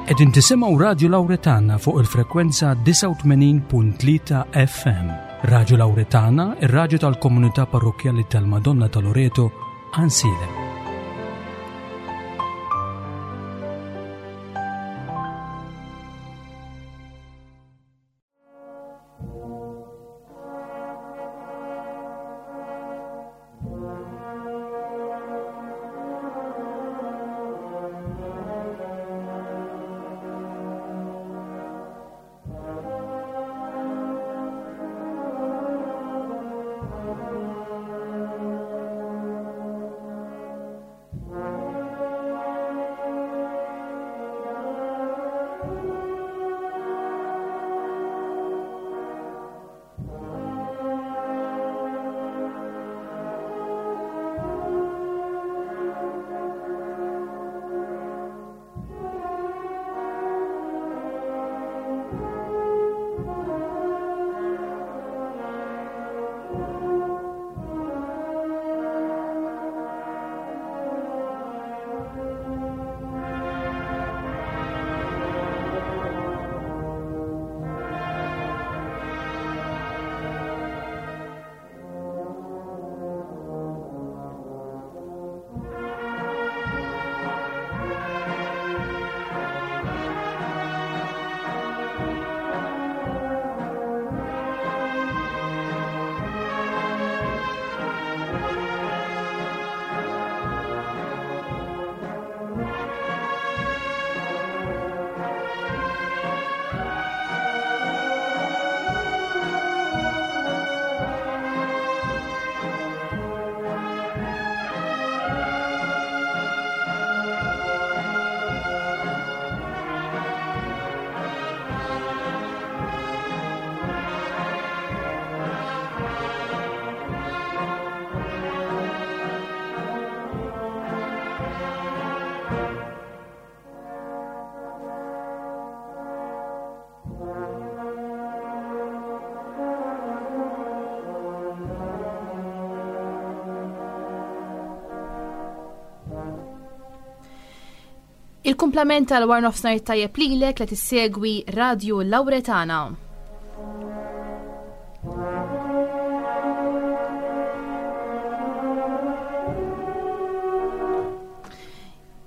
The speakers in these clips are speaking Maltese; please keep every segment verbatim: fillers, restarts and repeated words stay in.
Qegħdin tisimgħu Radju Lawretana fuq il-frekwenza disgħa u tmenin punt tlieta F M. Radju Lawretana, ir-radju tal-komunità parrokkjali tal-Madonna ta' Loreto, Għajnsielem. Il-kumplament tal-war nofsinhar tajjeb lilek li tissegwi Radju Lawretana.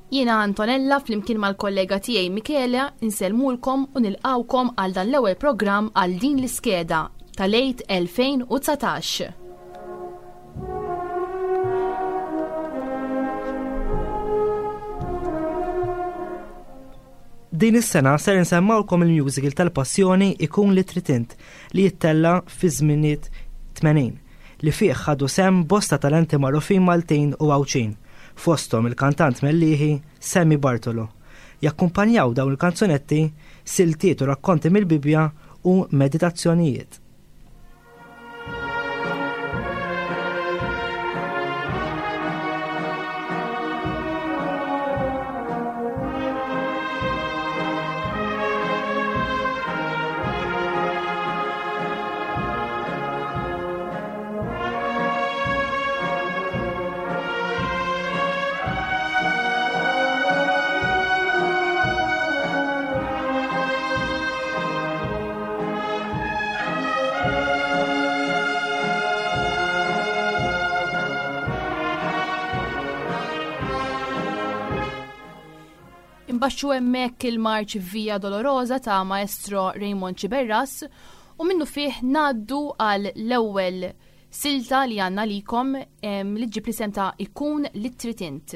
Jiena Antonella flimkien mal-kollega tiegħi Michela insellmulkom u nilqawkom għal dan l-ewwel programm għal din l-iskeda tal-Għid elfejn u dsatax. Din is-sena ser insemmawlkom il-musical tal-Passjoni Ikun li Trid Int li jittella fi żminijiet tmenin li fih ħadu sem bosta talenti magħrufin Maltin u Għawdxin, fosthom il-kantant Mellieħi Sammy Bartolo. Jakkumpanjaw dawn il-kanzunetti siltiet u rakkonti mill-Bibbja u meditazzjonijiet. Imbaxxu hemmhekk il-marċ Via Dolorosa ta' Maestro Raymond Sciberras u minnu fih ngħaddu għal l-ewwel silta li għandna likom, em, li ġġib l-isem ta' Ikun li Trid Int.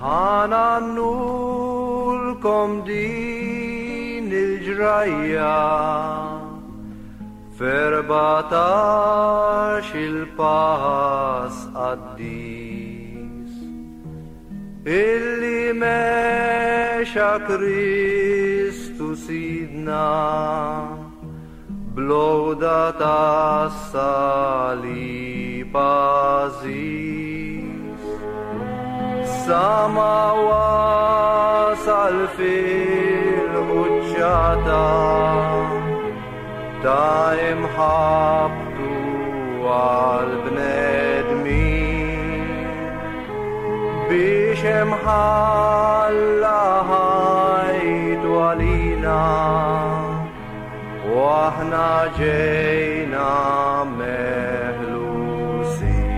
Ħanannulkom din il-ġrajja f'erbatax il-pass qaddis illi mexa Kristu Sidna blowda tas-salib għażiż. Sa ma wasal fil-quċċata ta' imħabtu Għal-bnedmin biex imħalla ħajtu għalina u aħna ġejna meħlusin.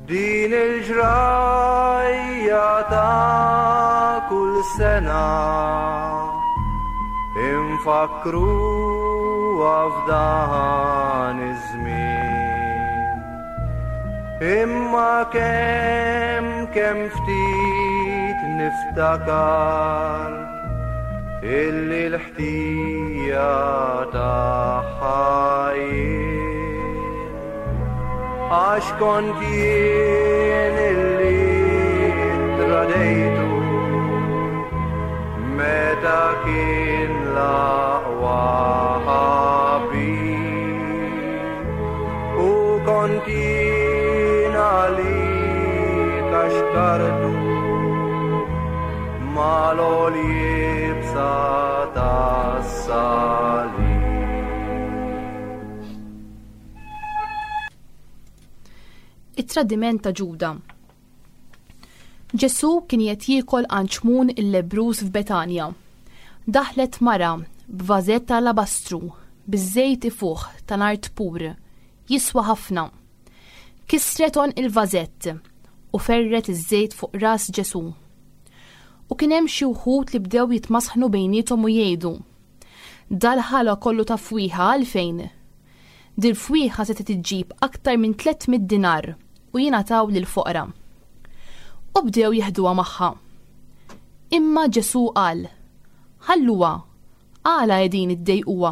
Din il-ġrajja ta' kull sena infakruha f'dan iż-żmien. Imma kemm kemm ftit niftakar illi l-ħtija tagħha jien, għax kont jien illi tradejtu meta kien l-aqwa ħabib, u kont jien għalik għax kartu mal-għoljibsa tas-salib. It-tradiment ta' Ġuda. Ġesù kien qed jiekol għand Xmun il-lebbruż f'Betanja. Daħlet mara b'vażett ta' alabastru biż-żejt ifuħ ta' nard pur, jiswa ħafna. Kisret għonq il-vażett u ferret iż-żejt fuq ras Ġesù. U kien hemm xi wħud li bdew jitmasħnu bejniethom u jgħidu: Dal-ħala kollu ta' fwieħa għalfejn? Dil-fwieħa se tiġġib aktar minn tliet mitt dinar u jingħataw lill-foqra. U bdew jeħduha magħha. Imma Ġesù qal: Ħalluha, għala qegħdin iddejquha?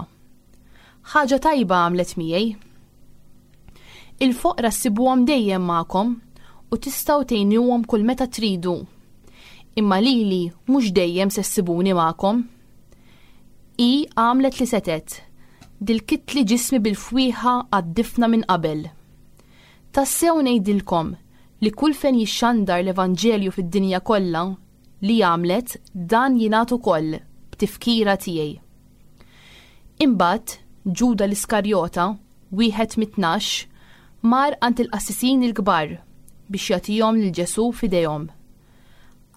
Ħaġa tajba għamlet miegħi. Il-foqra ssibuhom dejjem magħkom u tistgħu tgħinuhom kull meta tridu. Imma lili mhux dejjem se ssibuni magħkom. Hi għamlet li setet, dil-kitli ġismi bil-fwieħa għad-difna minn qabel. Tassew ngħidilkom li kull fejn jixxandar l-Evanġelju fid-dinja kollha li għamlet dan jingħad ukoll b'tifkira tiegħi. Imbagħad Ġuda l-Iskarjota, wieħed mit-tnax, mar għand il-qassisin il-kbar biex jagħtihom lil Ġesù f'idejhom.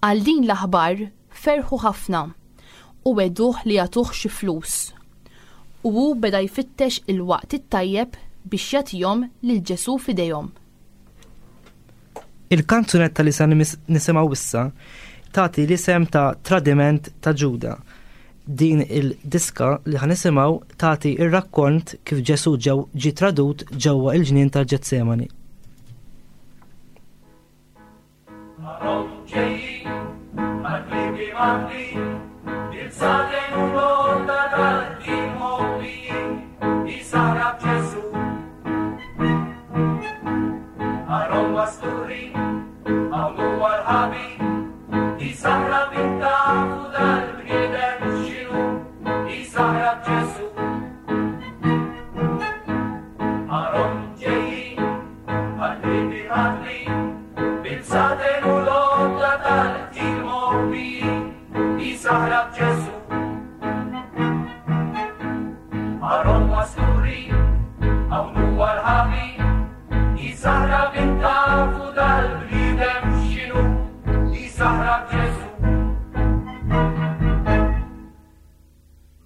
Għal din l-aħbar ferħu ħafna u weduh li jagħtuh xi flus. U hu beda jfittex il-waqt it-tajjeb biex jagħtihom lil Ġesù f'idejhom. Il-kanzunetta li sa nimis-, nisimgħu issa tagħti l-isem ta' Tradiment ta' Ġuda. Din il-diska li ħanisimgħu tagħti ir-rakkont kif Ġesù ġew ġie tradut ġewwa il-ġnien tal-Ġetsemani.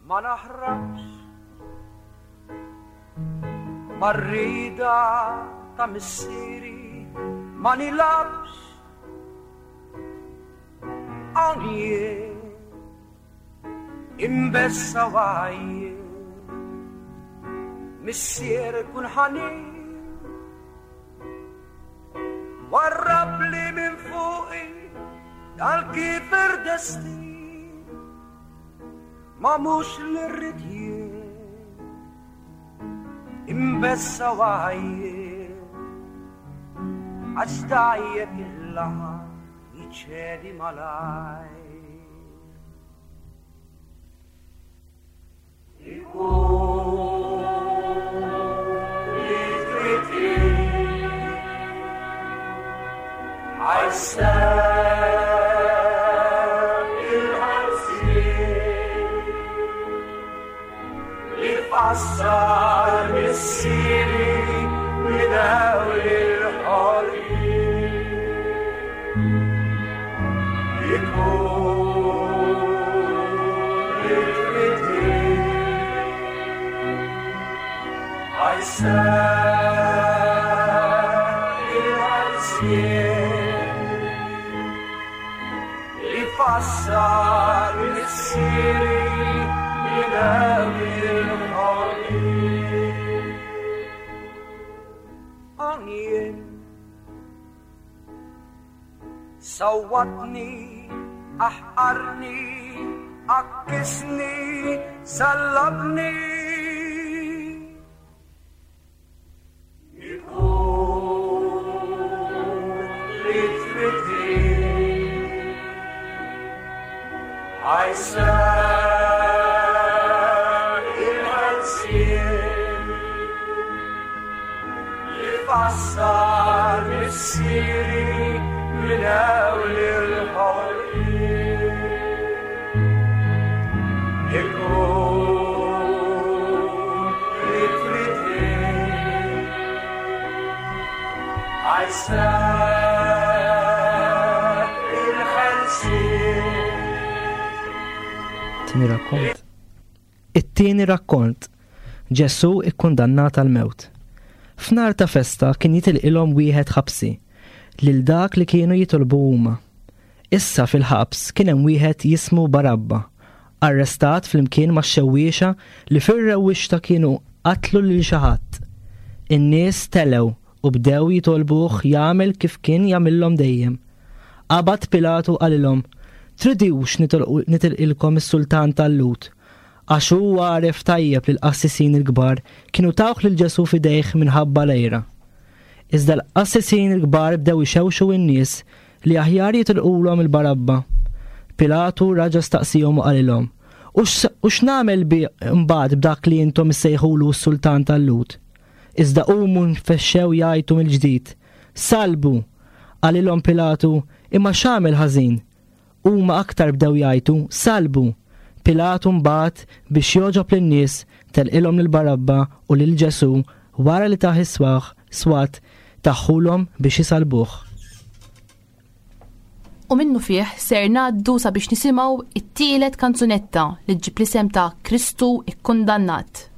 Ma naħrabx marrida ta' missieri, ma nilabx hawn jien imbessa wajjien. Missier kun ħanin, warrab li minn fuqi dal-kifer destin, ma mhux li rrid jien imbessa wajjien, għax dajjeb il-laħam jiċedi malajr. Ikun li trid għajser il-ħarsien Ikun li trid Ħa jseħħ il-ħelsien li fassal missieri minn hemm il-ħolqien. Għanjien sawwatni, aħqarni, għakkisni, sallabni. Ikun li trid ħa jseħħ il-ħelsien li fassal missieri minn hawn il-ħolqien. Ikun li trid ħa jseħħ il-ħelsien. Tieni rakkont. It-tieni rakkont. Ġesù ikkundannat għall-mewt. F'nar ta' festa kien jitilqilhom wieħed ħabsi lil dak li kienu jitolbu huma. Issa fil-ħabs kien hemm wieħed jismu Barabba, arrestat flimkien ma' xewwiexa li fir-rewwixta kienu qatlu lil xi ħadd. In-nies telew u bdew jitolbuh jagħmel kif kien jagħmilhom dejjem. Qabad Pilatu qalilhom, Tridux nitilqu-, nitilqilkom is-sultan tal-Lhud, għax hu għaref tajjeb li l-qassisin il-kbar kienu tawh lil Ġesù f'idejh minħabba l-għira. Iżda l-qassisin il-kbar bdew ixewxu n-nies li aħjar jitilqulhom il-Barabba. Pilatu raġa staqsihom u qalilhom, U x-, u x'nagħmel bi mbagħad b'dak li intom issejħulu s-sultan tal-Lhud? Iżda qumu nfexxew jgħajtu mill-ġdid. Salbu, qalilhom Pilatu, imma x'għamel ħażin? Huma aktar bdew jgħajtu, salbu. Pilatu mbagħad biex jogħġob lin-nies telqilhom lil Barabba u lil Ġesù wara li tah is-swaħ swat taħħulhom biex isalbuh. U minnu fih ser ngħaddu sabiex nisimgħu it-tielet kanzunetta li ġġib l-isem ta' Kristu ikkundannat.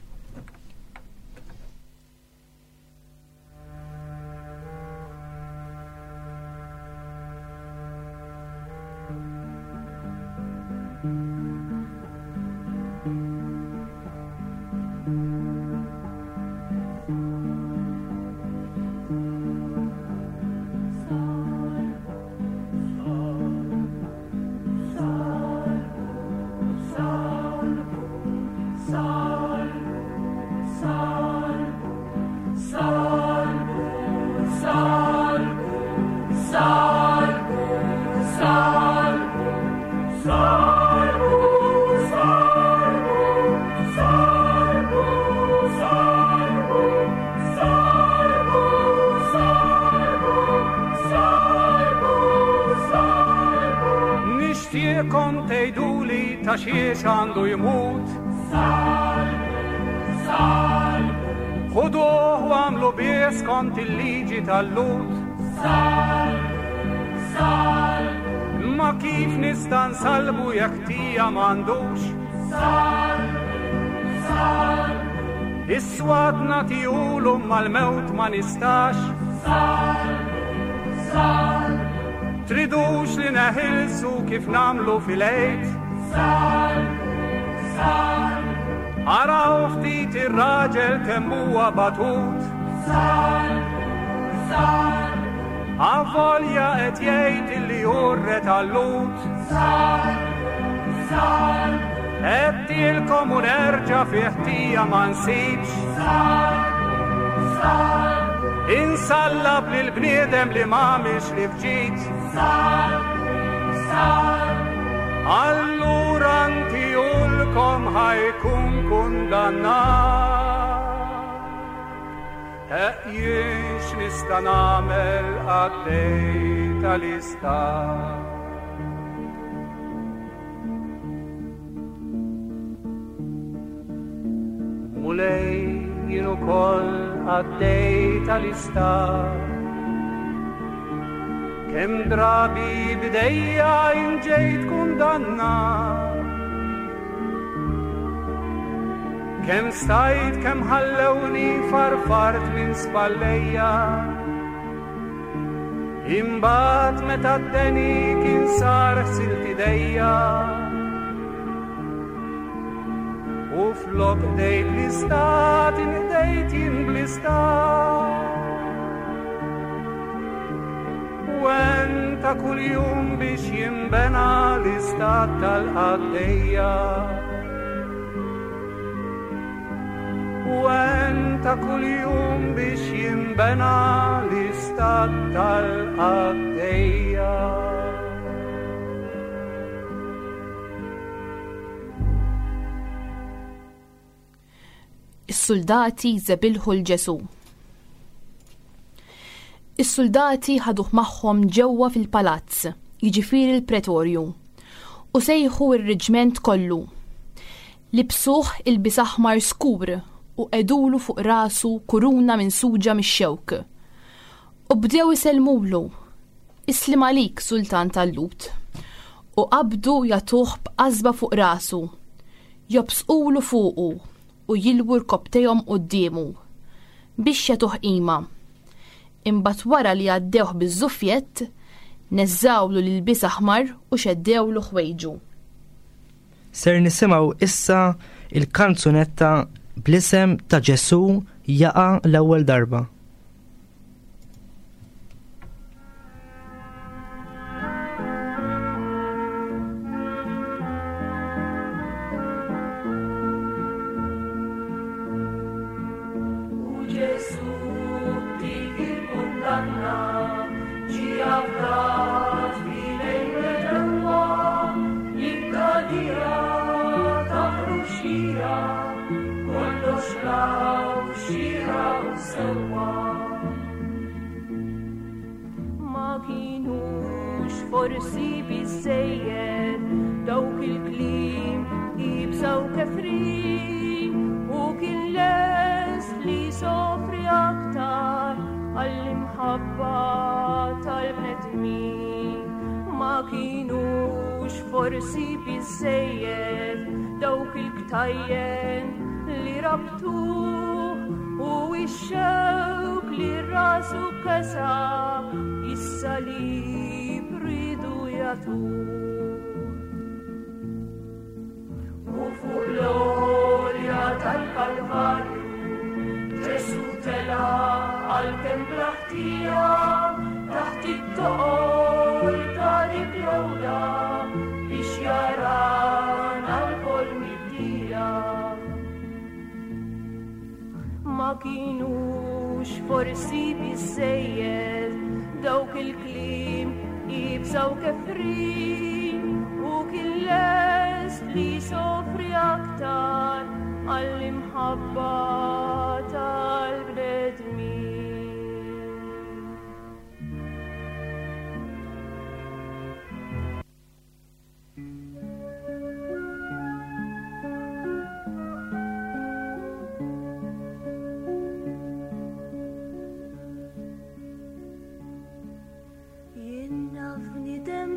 Ta' xiex għandu jmut. Salbu, salbu. Ħuduh u għamlu bih skont il-liġi tal-Lhud. Salbu, salbu. Ma kif nista' nsalbu jekk tija m'għandux? Salbu, salbu. Is-swat nagħtihulu mal-mewt ma nistax. Salbu, salbu. Tridux li neħilsu kif nagħmlu fil-Għid? Salbu, salbu. Araw ftit ir-raġel kemm huwa batut. Salbu, salbu. Avolja qed jgħid illi hu r-re tal-Lhud. Salbu, salbu. Qed u nerġa' fi ħtija ma nsibx. Salbu, salbu. Insallab lil bniedem li m'għamilx li fġid. Salbu, salbu. Allura ntijulkom ħajkun kundannat. Jien x'nista' nagħmel għaddej tal-istat. Mulej jien ukoll għaddej tal-istat. Kemm drabi b'idejja inġejt kundannat, kemm stajt kemm ħallewni farfart minn spallejja. Imbagħad meta d-deni kien sar ħsilt idejja, u flok dejt l-istat inqdejt jien bl-istat. U ta' kuljum biex jinbena l-istat tal-qaddejja. U ta' kuljum biex jinbena l-istat tal-qaddejja. Is-soldati żebilħu 'l Ġesù. Is-soldati ħaduh magħhom ġewwa fil-palazz, jiġifieri l-pretorju, u sejħu r-reġment kollu. Libsuh ilbies aħmar skur u qegħdulu fuq rasu kuruna minsuġa mix-xewk. U bdew isellmulu, "Islim għalik, sultan tal-Lhud." U qabdu jagħtuh b'qasba fuq rasu, jobsqulu fuqu u jilwu rkobtejhom quddiemu biex jagħtuh qima. Imbagħad wara li għaddewh biż-żufjett, neżżawlu l-ilbies aħmar u xeddewlu ħwejġu. Ser nisimgħu issa il-kanzunetta bl-isem ta' Ġesù jaqa' l-ewwel darba. Forsi biżżejjed dawk il-kliem ibsa u kefrin, u kien lest li sofri aktar għall-imħabba tal-bnedmin. Ma kienux forsi biżżejjed dawk il-ktajjen li rabtuh u x-xewk li rasu kesa is-salib ridu jagħtuh. U fuq l-għolja tal-Kalvarju Ġesù tela' għalkemm bla ħtija, taħt it-toqol ta' dik l-għola biex jarana lkoll mid-dija. Ma kienux forsi biżżejjed dawk il-kliem ibsa u kefrin, u kien lest li sofri aktar għall-imħabba tal-bnedmin.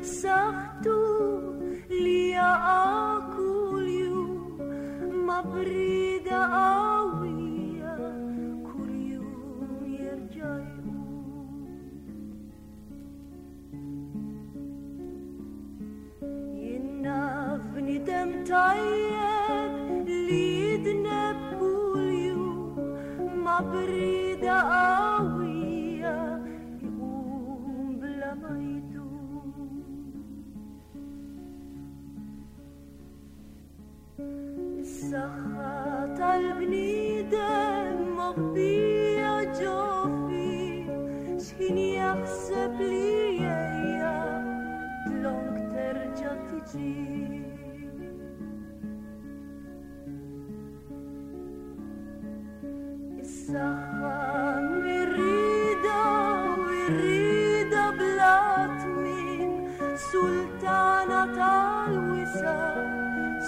B'saħħtu li jaqa' kuljum ma' brida qawwija kuljum jerġa' jqum. Jien naf bniedem tajjeb li jidneb kuljum ma' brida qawwija jqum bla ma jdum. Is-saħħa tal-bniedem moħbija ġo fih, x'ħin jaħseb li ejja dlonk terġa' tiġi. Is-saħħa mir-rida u r-rida bla tmiem, sultana tal-wisa',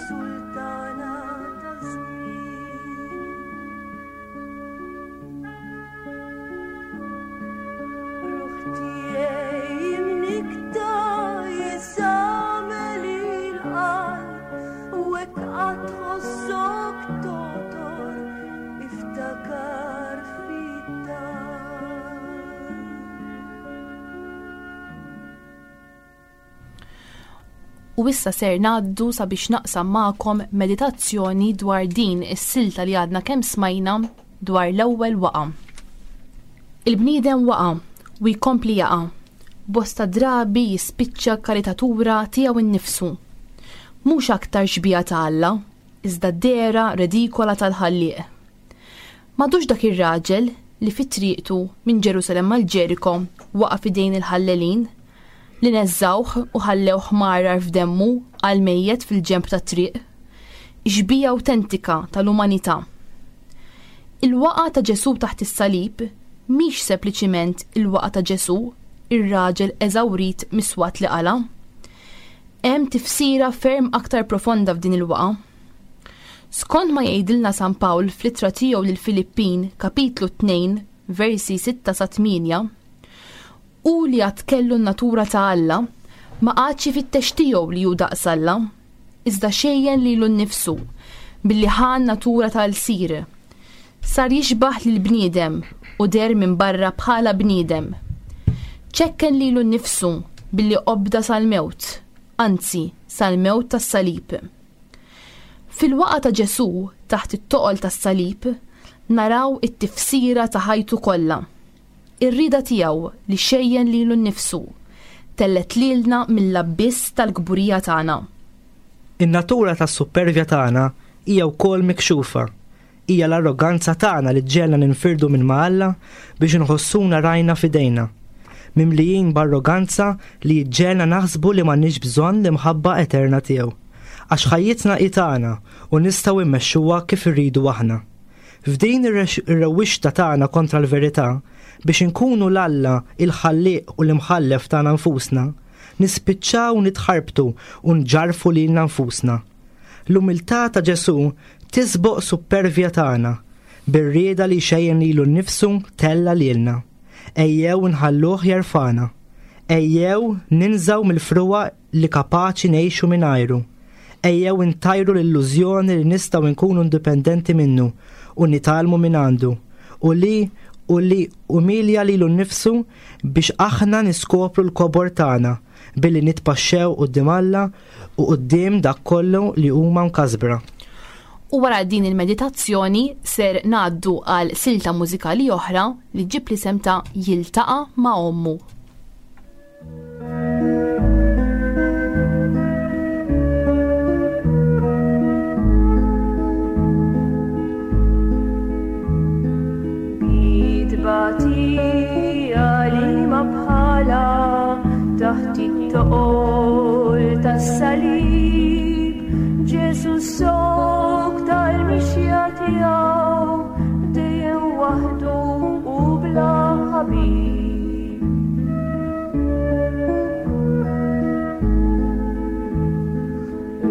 sultana taż-żmien. Ruħ tiegħi U issa ser ngħaddu sabiex naqsam magħkom meditazzjoni dwar din is-silta li għadna kemm smajna dwar l-ewwel waqa. Il-bniedem waqa u jkompli jaqa', bosta drabi jispiċċa karikatura tiegħu nnifsu. Mhux aktar xbieha ta' Alla, iżda dehra redikola tal-ħallieq. M'għadux dak ir-raġel li fi triqtu minn Ġerusalemm għal Ġeriko waqa' f'idejn il-ħallelin, li neżżawh u ħallewh marar f'demmu għal mejjet fil-ġenb tat-triq, xbieha awtentika tal-umanità. Il-waqa ta' Ġesù taħt is-salib mhix sempliċiment il-waqa ta' Ġesù, ir-raġel eżawrit miswat li qala. Hemm tifsira ferm aktar profonda f'din il-waqa. Skont ma jgħidilna San Pawl fl-ittra tiegħu lil Filippin, kapitlu tnejn, versi sitta sa tmienja, u li għad kellu n-natura ta' Alla, ma qagħadx ifittex tiegħu li hu daqs Alla, iżda xejjen lilu nnifsu billi ħa n-natura tal-sir. Sar jixbaħ lil bniedem u der minn barra bħala bniedem. Ċekken lilu nnifsu billi obda sal-mewt, anzi sal-mewt tas-salib. Fil-waqa ta' Ġesù taħt it-toqol tas-salib naraw it-tifsira ta' ħajtu kollha. Ir-rieda tiegħu li xejjen lilu nnifsu tellet lilna mill-abbiss tal-kburija tagħna. In-natura tas-supervja tagħna hija wkoll mikxufa. Hija l-arroganza tagħna li ġġegħelna ninfirdu minn ma' Alla biex inħossuna rajna f'idejna. Mimlijin b'arroganza li ġġegħelna naħsbu li m'għandniex bżonn l-imħabba eterna tiegħu. Għax ħajjitna hi tagħna u nistgħu immexxuha kif irridu aħna. F'din ir-rewwixta tagħna kontra l-verità, biex inkunu l-Alla, il-ħallieq u l-imħallef tagħna nfusna, nispiċċaw nitħarbtu u nġarfu lilna nfusna. L-umiltà ta' Ġesù tisboq supervja tagħna, bir-rieda li xejjen lilu nnifsu tella lilna. Ejjew nħalluh jerfana. Ejjew ninżaw mill-frua li kapaċi ngħixu mingħajru. Ejjew intajru l-illużjoni li nistgħu nkunu indipendenti minnu u nitgħallmu minn għandu u li u li umilja lilu nnifsu biex aħna niskopru l-kobor tagħna billi nitpaxxew quddiem Alla u quddiem dak kollu li huma mkasbra. U wara din il-meditazzjoni ser ngħaddu għal silta mużikali oħra li ġib l-isem ta' Jiltaqa' ma' Ommu. Batija li ma bħala taħt it-toqol tas-salib, Ġesu sok tal-mixja tiegħu dejjem waħdu u bla ħabib. U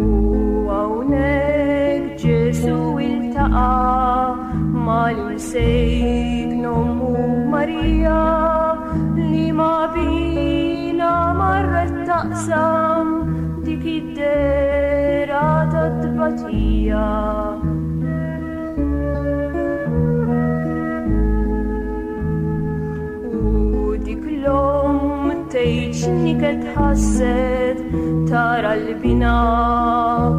hawnhekk Ġesu iltaqa' mal-imsejk nommu Marija li ma bina marret taqsam dik id-dera tat-tbatija. U dik l-omm tgħid x'niket ħasset tara l-bina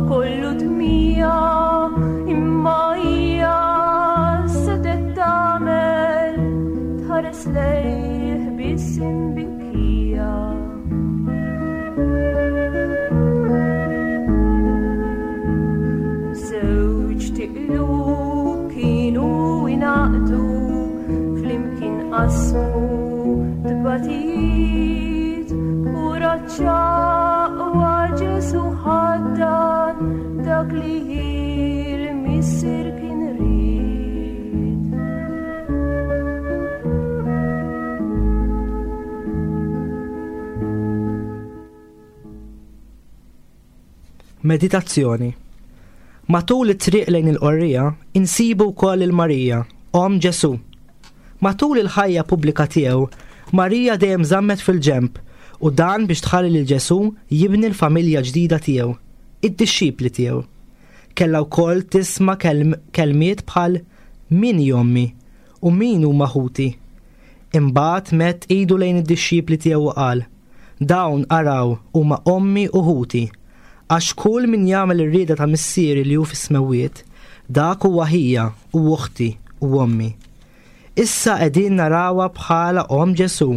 kollu dmija, imma hija sedet tagħmel tħares lejh biss imbikkija. Żewġ tiqlub kienu ingħaqdu flimkien qasmu tbatijiet u raċċaqwa Ġesu ħaddan dak li il-Missier kien ried. Meditazzjoni. Matul it-triq lejn il-qorrija insibu wkoll il-Marija, omm Ġesu. Matul il-ħajja pubblika tiegħu, Marija dejjem żammet fil-ġenb u dan biex tħalli lil Ġesu jibni l-familja ġdida tiegħu, id-dixxipli tiegħu. Kellha wkoll tisma' kelm-, kelmiet bħal min hi ommi u min huma ħuti. Imbagħad mett idu lejn id-dixxipli tiegħu u qal, dawn araw huma ommi u ħuti, Għax kull min jagħmel ir-rieda ta' Missieri li hu fis-smewwiet, dak huwa ħija u uħti u ommi. Issa qegħdin narawha bħala omm Ġesù,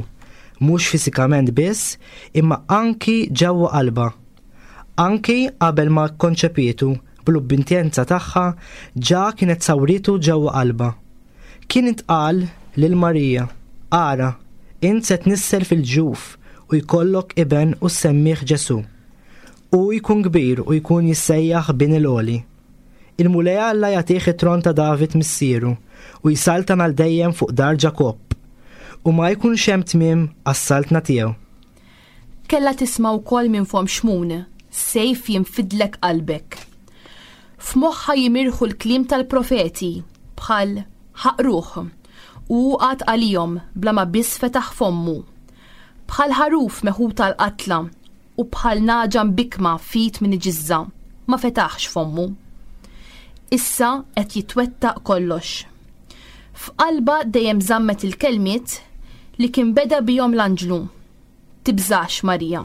mhux fiżikament biss, imma anki ġewwa qalbha. Anki qabel ma kkonċepietu bl-ubbidjenza tagħha ġa kienet sawritu ġewwa qalbha. Kien intqal lil Marija, ara, int se tnissel fil-ġuf u jkollok iben u semmih Ġesù. U jkun kbir u jkun jissejjaħ bin il-Għoli. Il-Mulej Alla jagħtih it-tron ta' David missieru u jsaltan għal dejjem fuq dar Ġakobb u ma jkunx hemm tmiem għas-saltna tiegħu. Kellha tisma' wkoll minn fomm Xmun, sejf jinfidlek qalbek. F'moħħha jimirħu l-kliem tal-profeti bħal ħaqruh u qagħad għalihom bla ma biss fetaħ fommu. Bħal ħaruf meħud għall-qatla u bħal nagħġa mbikkma f'id min iġiżżha, ma fetaħx fommu. Issa qed jitwettaq kollox. F'qalba dejjem żammet il-kelmiet li kien beda bihom l-anġlu. Tibżax Marija.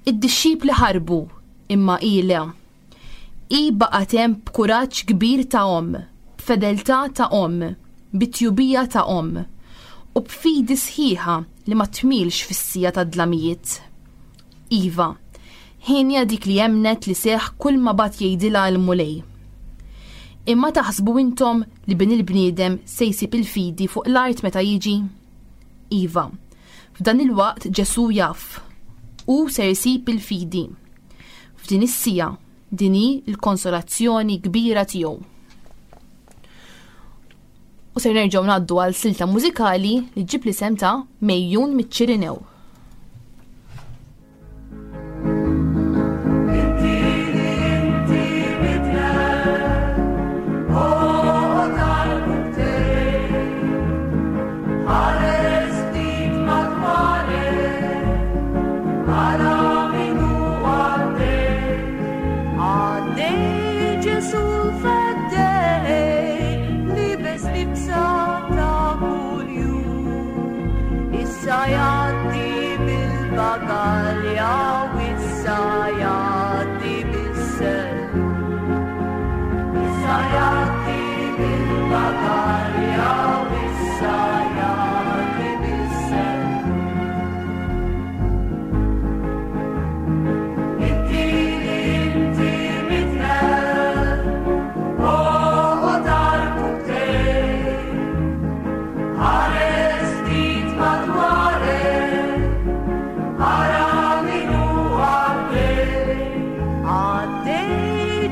Id-dixxipli ħarbu imma hi le. Hi baqgħet hemm b'kuraġġ kbir ta' omm, b'fedeltà ta' omm, bit-tjubija ta' omm u b'fidi sħiħa li ma tmilx fis-siegħa tad-dlamijiet. Iva, hienja dik li emnet li seħ kull ma bagħat jgħidilha l-Mulej. Imma taħsbu intom li bin il-bniedem se jsib il-fidi fuq l-art meta jiġi? Iva, f'dan il-waqt Ġesù jaf u ser jsib il-fidi. F'din is-siegħa din hi l-konsolazzjoni kbira tiegħu. U ser nerġgħu ngħaddu għal silta mużikali li ġġib l-isem ta' Mejjun miċ-Ċirinew. Inti li inti midneb, oqgħod għall-buttej, ħares ftit madwarek, ara min hu għaddej. Għaddej Ġesù l-feddej, libes libsa ta' kuljum. Issa jgħaddi bil-bagalja u issa jgħaddi bis-sellum. Issa jgħaddi bil-bagalja u issa jgħaddi bis-sellum. Inti li inti midneb, oqgħod għall-buttej, ħares ftit madwarek, ara min hu għaddej. Għaddej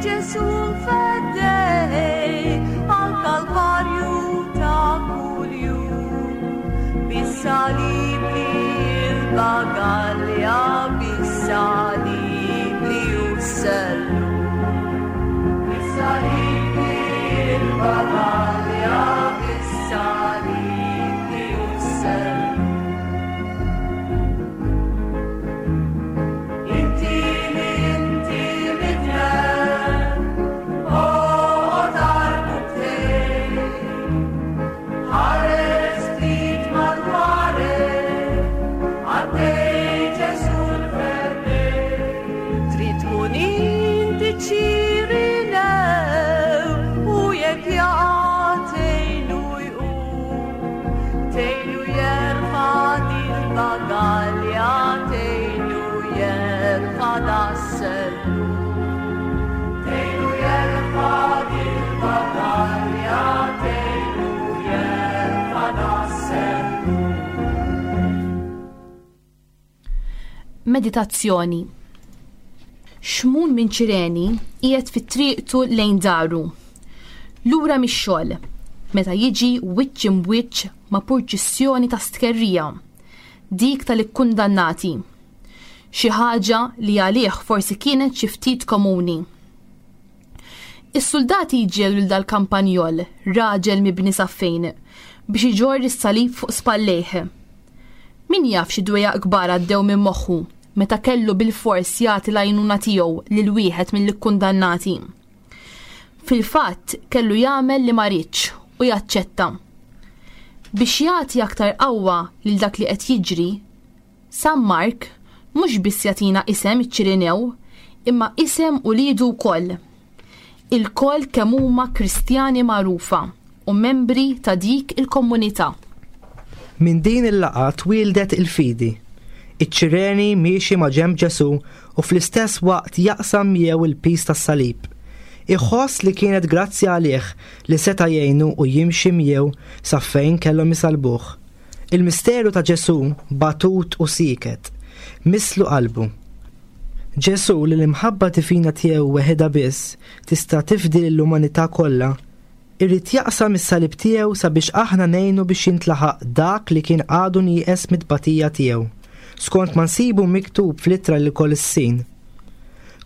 Ġesù l-feddej, għall-Kalvarju ta' kuljum. Bis-salib li l-bagalja, bis-salib li hu s-sellum. Bis-salib li l-bagalja, bis-salib li hu s-sellum. Inti li inti midneb, oqgħod għall-buttej, ħares ftit madwarek, għaddej Ġesù l-feddej. Trid tkun inti Ċirinew, u jekk jaqa' tgħinu jqum. Tgħinu jerfa' dil-bagalja, tgħinu jerfa' das-sellum. Tgħinu jerfa' dil-bagalja, tgħinu jerfa' das-sellum. Meditazzjoni. Xmun minn Ċireni qiegħed fit-triqtu lejn daru. Lura mix-xogħol, meta jiġi wiċċ imwiċċ ma' purċissjoni ta' stkerrija, dik tal-ikkundannati. Xi ħaġa li għalih forsi kienet xi ftit komuni. Is-soldati jġegħlu lil dal-kampanjol, raġel mibni saffejn, biex iġorr is-salib fuq spallejh. Min jaf xi dwejjaq kbar għaddew minn moħħu meta kellu bil-fors jagħti l-għajnuna tiegħu lil wieħed mill-ikkundannati. Fil-fatt kellu jagħmel li ma riedx u jaċċetta. Biex jagħti aktar qawwa lil dak li qed jiġri, San Mark mhux biss jagħtina isem iċ-Ċirinew, imma isem uliedu wkoll. Ilkoll kemm huma Kristjani magħrufa u membri ta' dik il-komunità. Minn din il-laqgħa twieldet il-fidi. Iċ-Ċireni miexi ma' ġenb Ġesù u fl-istess waqt jaqsam miegħu il-piż tas-salib. Iħoss li kienet grazzi għalih li seta' jgħinu u jimxi miegħu sa fejn kellhom isalbuh. Il-misteru ta' Ġesù batut u sieket, mislu qalbu. Ġesù li l-imħabba divina tiegħu weħidha biss tista' tifdi lill-umanità kollha, irid jaqsam is-salib tiegħu sabiex aħna ngħinu biex jintlaħaq dak li kien għadu nieqes mit-tbatija tiegħu, skont ma nsibu miktub fl-ittra lil Kolossin.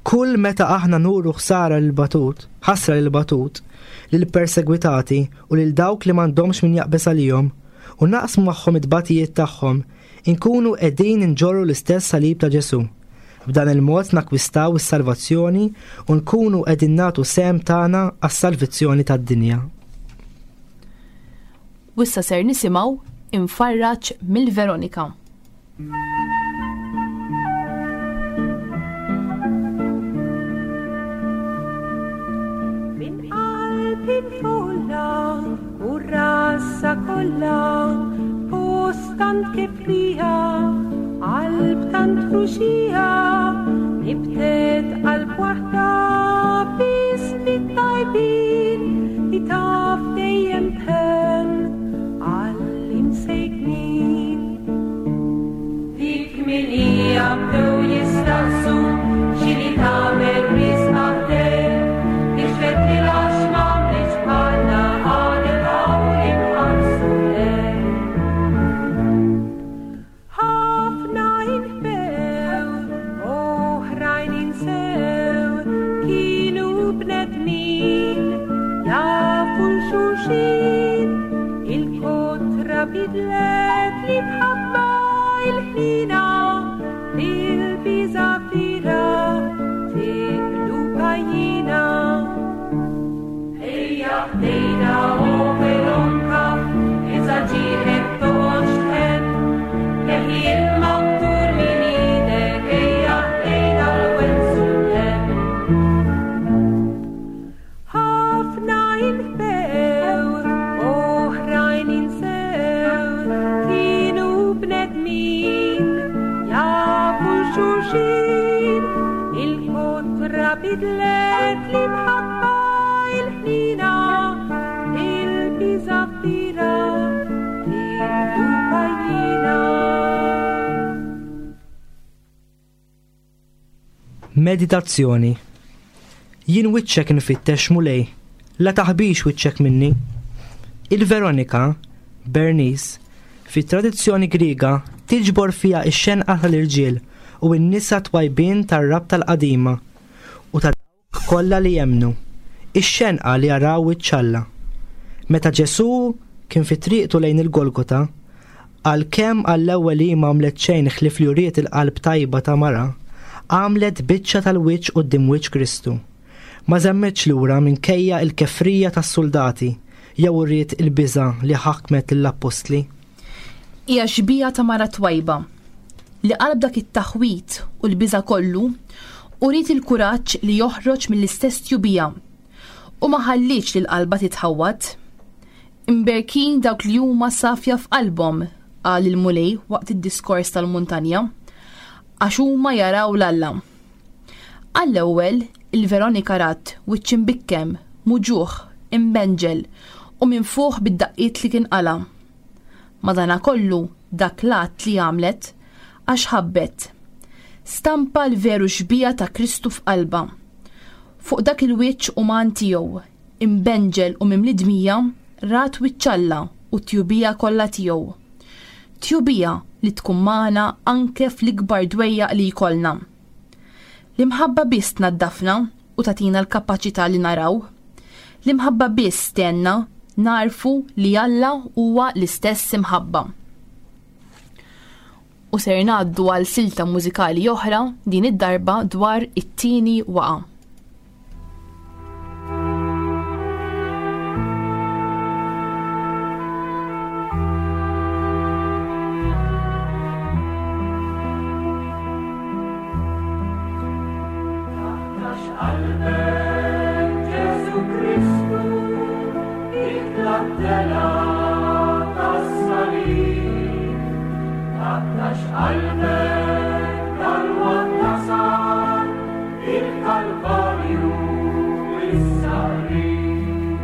Kull meta aħna nuru ħsara lil batut, ħasra lil batut, lil persegwitati u lil dawk li m'għandhomx min jaqbeż għalihom u naqsmu magħhom it-tbatijiet tagħhom, inkunu qegħdin inġorru l-istess salib ta' Ġesù. B'dan il-mod nakwistaw is-salvazzjoni u nkunu qegħdin nagħtu sehem tagħna għas-salvazzjoni tad-dinja. U issa ser nisimgħu Imfarraġ mill-Veronika. Min qalb il-folla u r-rassa kollha, post tant kifrija, qalb tant ħruxija, nibtet qalb waħda biss fit-tajbin li taf dejjem tħenn għall-imsejknin. Dik minija bdew jistaqsu x'inhi tagħmel risq għaddej, nixfet li għax m'għamlitx bħalna qalet hawn inħarsu lejn. Ħafna inħbew, oħrajn insew, kienu bnedmin jafu l-xulxin, il-kotra bidlet li tħabba il-ħnina, bil-biża' tiqlu pajjina. Ejja ħdejna o Veronka, iżda ġieħek toqgħodx tħenn, neħi il-maktur minn idek, ejja ħdejna l-wensu hemm. Ħafna inħbew, oħrajn insew, kienu bnedmin jafu l-xulxin, il-kotra bidlet l-imħabba il-ħnina, il-biża' kbira tiqlu pajjina. Meditazzjoni. Jien wiċċek nfittex Mulej, la taħbix wiċċek minni. Il-Veronika, Bernice, fit-tradizzjoni Griega tiġbor fiha x-xenqa tal-irġiel u n-nisa twajbin tar-rabta l-qadima u ta' dawk kollha li jemmnu, ix-xenqa li jaraw wiċċ Alla. Meta Ġesù kien fi triqtu lejn il-Golgota, għalkemm għall-ewwel hi m'għamlet xejn ħlief li uriet il-qalb tajba ta' mara, għamlet biċċa tal-wiċċ quddiem wiċċ Kristu. Ma żammitx lura minkejja l-kefrija tas-soldati jew uriet il-biża' li ħakmet lill-appostli. Hija xbieha ta' mara twajba li qalb dak it-taħwit u l-biża' kollu uriet il-kuraġġ li joħroġ mill-istess tjubija u ma ħallietx lil qalbha titħawwad. Imberkin dawk li huma safja f'qalbhom, qal il-Mulej waqt id-diskors tal-muntanja, għax huma jaraw l-Alla. Għall-ewwel il-Veronika rat wiċċ imbikkem, muġuħ, imbenġel u minfuħ bid-daqqiet li kien qala. Madanakollu dak l-att li għamlet għax ħabbet. Stampa l-veru xbieha ta' Kristu f'qalbha. Fuq dak il-wiċċ uman tiegħu, imbenġel u mimli dmija, rat wiċċ Alla u t-tjubija kollha tiegħu. Tjubija li tkun magħna anke fl-ikbar dwejjaq li jkollna. L-imħabba biss tnaddafna u tagħtina l-kapaċità li naraw. L-imħabba biss tgħinna narfu li Alla huwa l-istess imħabba. U ser ngħaddu għal silta mużikali oħra din id-darba dwar it-tieni waqa. Taqtax qalbek Ġesu Kristu itla' t-telgħa tas-salib. Taqtax qalbek dalwaqt tasal il-Kalvarju issa qrib.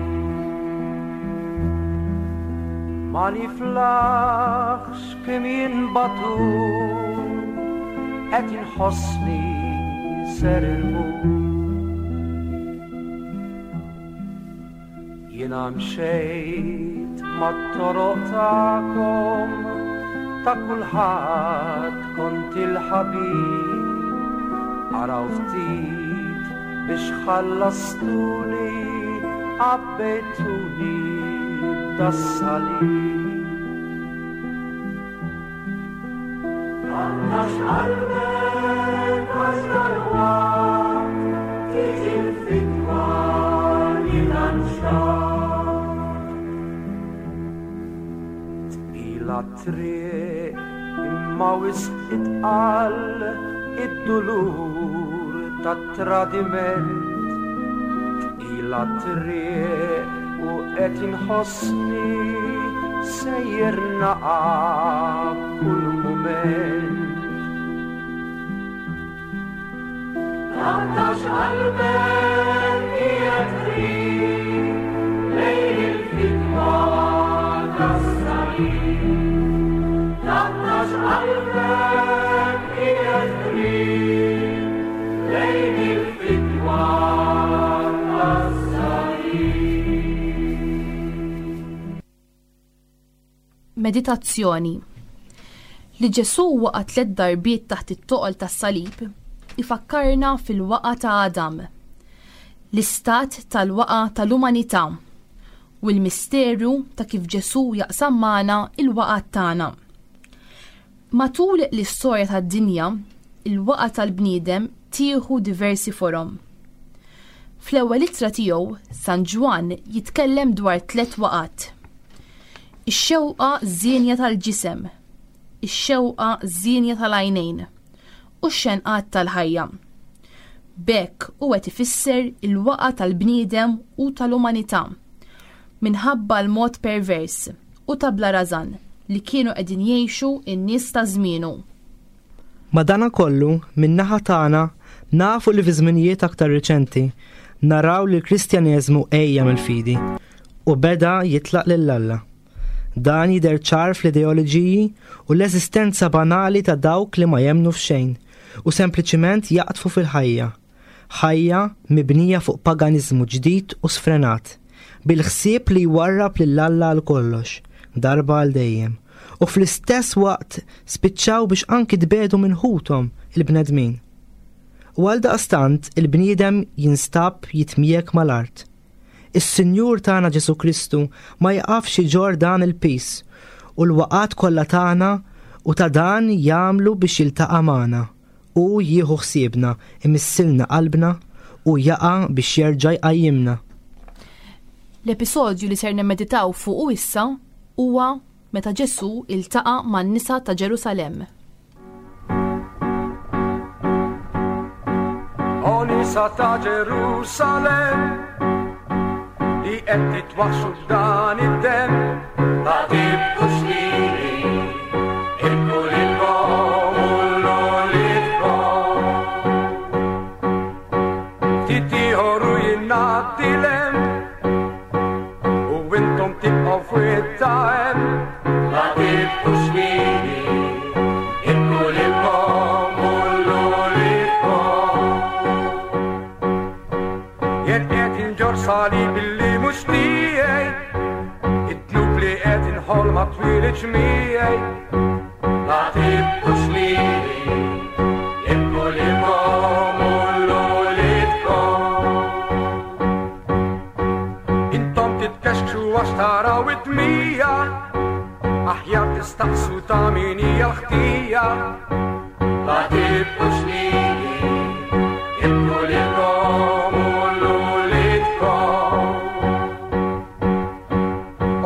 Ma niflaħx kemm jinbatu qed inħossni ser inmut. Jiena mxejt mat-toroq tagħkom ta' kulħadd kont il-ħabib. Araw ftit biex ħallastuni għabbejtuni b'das-salib. Taqtax qalbek għax dalwaqt tiġi l-fidwa li tant xtaqt. Tqila t-triq imma wisq itqal id-dulur tat-tradiment. Tqila t-triq u qed inħossni sejjer naqa' kull mument. Taqtax qalbek qiegħed qrib lejn il-fidwa tas-salib. Taqtax qalbek qiegħed qrib lejn il-fidwa tas-salib. Meditazzjoni. Li Ġesu waqa' tliet darbiet taħt it-toqol tas-salib ifakkarna fil-waqa ta' Adam, l-istat tal-waqa tal-umanità u l-misteru ta' kif Ġesu jaqsam magħna il-waqa tagħna. Matul l-istorja tad-dinja, il-waqa tal-bniedem tieħu diversi forom. Fl-ewwel ittra tiegħu, San Ġwann jitkellem dwar tliet waqat. Ix-xewqa żienja tal-ġisem, ix-xewqa żienja tal-għajnejn u x-xenqat tal-ħajja. B'hekk hu qed ifisser il-waqa tal-bniedem u tal-umanità minħabba l-mod pervers u ta' bla rażan li kienu qegħdin jgħixu n-nies ta' żmienu. Madanakollu, min-naħa tagħna nafu li fi żminijiet aktar riċenti naraw li l-Kristjaneżmu ejja mill-fidi u beda jitlaq lil Alla. Dan jidher ċar fl-ideoloġiji u l-eżistenza banali ta' dawk li ma jemmnu f'xejn u sempliċiment jaqtfu fil-ħajja. Ħajja mibnija fuq paganiżmu ġdid u sfrenat, bil-ħsieb li jwarrab lil Alla għal kollox, darba għal dejjem. U fl-istess waqt spiċċaw biex anki tbedu minn ħuthom il-bnedmin. U għal daqstant il-bniedem jinstab jitmiegħek mal-art. Is-Sinjur tagħna Ġesu Kristu ma jaqafx iġorr dan il-pis u l-waqat kollha tagħna u ta' dan jagħmlu biex jiltaqa' magħna u jieħu ħsiebna, imissilna qalbna u jaqa' biex jerġa' jqajjimna. L-episodju li ser nimmeditaw fuqu issa huwa meta Ġesu iltaqa' man-nisa ta' Ġerusalemm. O nisa ta' Ġerusalemm, li qed titwaħxu f'dan id-demm, la tibkux lili, ibku lilkom u l-uliedkom. Ftit ieħor u jingħaddi l-hemm, u intom tibqgħu f'wied hemm. La tibkux lili, ibku lilkom u l-uliedkom. Jien qed inġorr salib illi mhux tiegħi, id-dnub li qed inħoll ma twilidx miegħi. La tibkux lili, ibku lilkom u l-uliedkom. Intom titkexkxu għax taraw id-dmija, aħjar tistaqsu ta' min hija l-ħtija. La tibkux lili, ibku lilkom u l-uliedkom.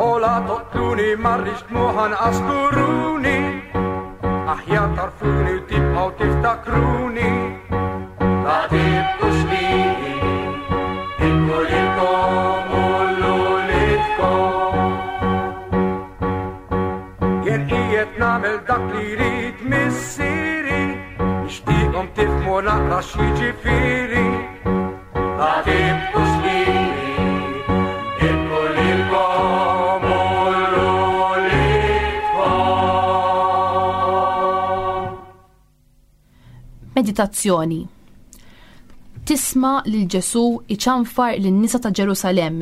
O la toqtluni ma rridx dmugħ anqas turuni, aħjar tarfuni u tibqgħu tiftakruni. La tibkux lili, Mela x'jiġifieri la tibkux lili, ibku lilkom u l-uliedkom. Meditazzjoni. Tisma' lil Ġesù iċanfar lin-nisa ta' Ġerusalemm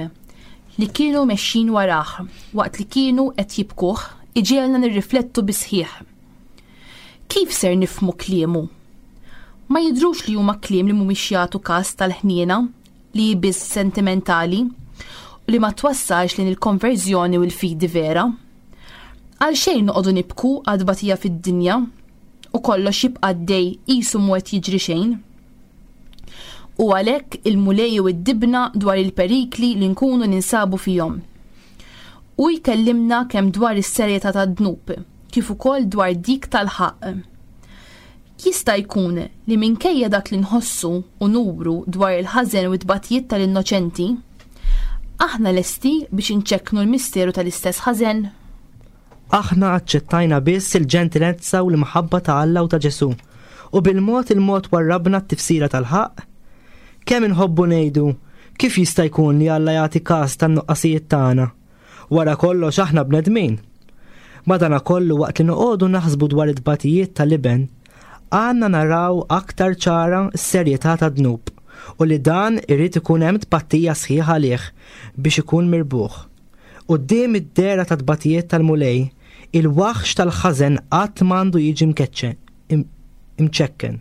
li kienu mexxin warah waqt li kienu qed jibkuh iġiegħelna nirriflettu bisħieħ. Kif ser nifhmu kliemu? Ma jidhrux li huma kliem li mhumiex jagħtu każ tal-ħniena li hi biss sentimentali u li ma twassalx lejn il-konverżjoni u l-fidi vera. Għalxejn noqogħdu nibku għad-tbatija fid-dinja u kollox jibqa' għaddej qisu mhu qed jiġri xejn. U għalhekk il-Mulej u d-dibna dwar il-perikli li nkunu ninsabu fihom. U jkellimna kemm dwar is-serjetà tad-dnub, kif ukoll dwar dik tal-ħaqq. Jista' jkun li minkejja dak li nħossu u nuru dwar il-ħażen u t-tbatijiet tal-innoċenti, aħna lesti biex inċekknu l-misteru tal-istess ħażen? Aħna aċċettajna biss il-ġentilezza u l-imħabba ta' Alla u ta' Ġesù, u bil-mod il-mod warrabna t-tifsira tal-ħaqq. Kemm inħobbu ngħidu kif jista' jkun li Alla jagħti każ tan-nuqqasijiet tagħna? Wara kollox aħna bnedmin. Madanakollu waqt li noqogħdu naħsbu dwar it-tbatijiet tal-iben, għandna naraw aktar ċara s-serjetà tad-dnub u li dan irid ikun hemm tpattija sħiħa għalih biex ikun mirbuħ. Quddiem id-dehra ta' tbatijiet tal-Mulej, il-waħx tal-ħażen qatt m'għandu jiġi mkeċċe, im-, imċekken.